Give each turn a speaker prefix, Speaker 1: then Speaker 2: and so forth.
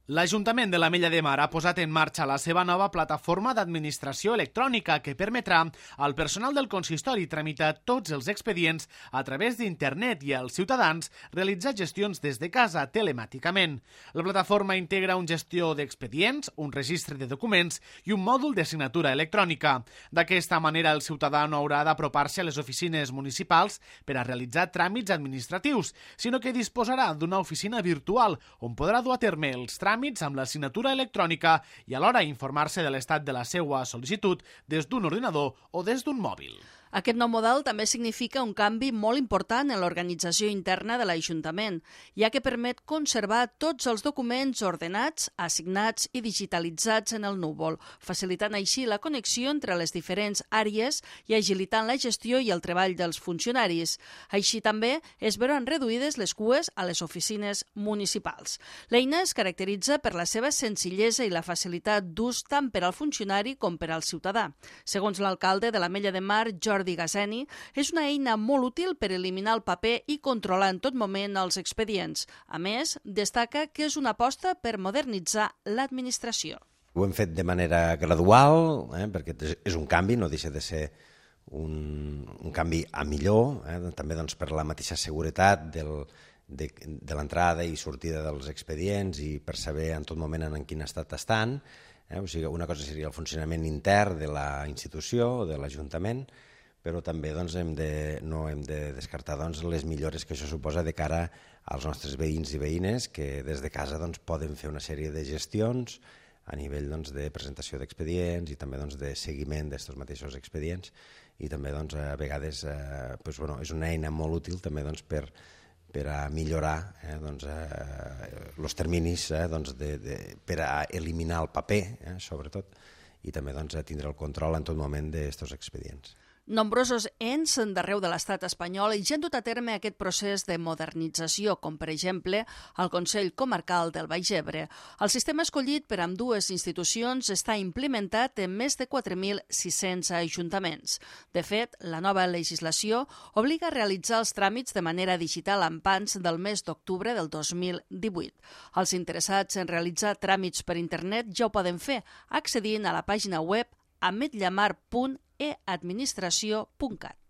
Speaker 1: L'Ajuntament de l'Ametlla de Mar ha posat en marxa la seva nova plataforma d'administració electrònica que permetrà al personal del consistori tramitar tots els expedients a través d'internet i als ciutadans realitzar gestions des de casa telemàticament. La plataforma integra un gestió d'expedients, un registre de documents i un mòdul de signatura electrònica. D'aquesta manera, el ciutadà no haurà d'apropar-se a les oficines municipals per a realitzar tràmits administratius, sinó que disposarà d'una oficina virtual on podrà dur a terme els tràmits amb la signatura electrònica i alhora informar-se de l'estat de la seva sol·licitud des d'un ordinador o des d'un mòbil.
Speaker 2: Aquest nou model també significa un canvi molt important en l'organització interna de l'Ajuntament, ja que permet conservar tots els documents ordenats, assignats i digitalitzats en el núvol, facilitant així la connexió entre les diferents àrees i agilitant la gestió i el treball dels funcionaris. Així també es veuran reduïdes les cues a les oficines municipals. L'eina es caracteritza per la seva senzillesa i la facilitat d'ús tant per al funcionari com per al ciutadà. Segons l'alcalde de l'Ametlla de Mar, Jordi Gaseni, és una eina molt útil per eliminar el paper i controlar en tot moment els expedients. A més, destaca que és una aposta per modernitzar l'administració.
Speaker 3: Ho hem fet de manera gradual, perquè és un canvi, no deixa de ser un canvi a millor, també per la mateixa seguretat de l'entrada i sortida dels expedients i per saber en tot moment en quin estat estan. O sigui, una cosa seria el funcionament intern de la institució o de l'Ajuntament, però també no hem de descartar les millores que això suposa de cara als nostres veïns i veïnes que des de casa poden fer una sèrie de gestions a nivell de presentació d'expedients i també de seguiment d'aquests mateixos expedients i també a vegades és una eina molt útil també per a millorar els terminis per a eliminar el paper, sobretot, i també a tindre el control en tot moment d'aquests expedients.
Speaker 2: Nombrosos ens d'arreu de l'estat espanyol ja han dut a terme aquest procés de modernització, com per exemple el Consell Comarcal del Baix Ebre. El sistema escollit per ambdues institucions està implementat en més de 4.600 ajuntaments. De fet, la nova legislació obliga a realitzar els tràmits de manera digital en pans del mes d'octubre del 2018. Els interessats en realitzar tràmits per internet ja ho poden fer accedint a la pàgina web ametllamar.eadministració.cat.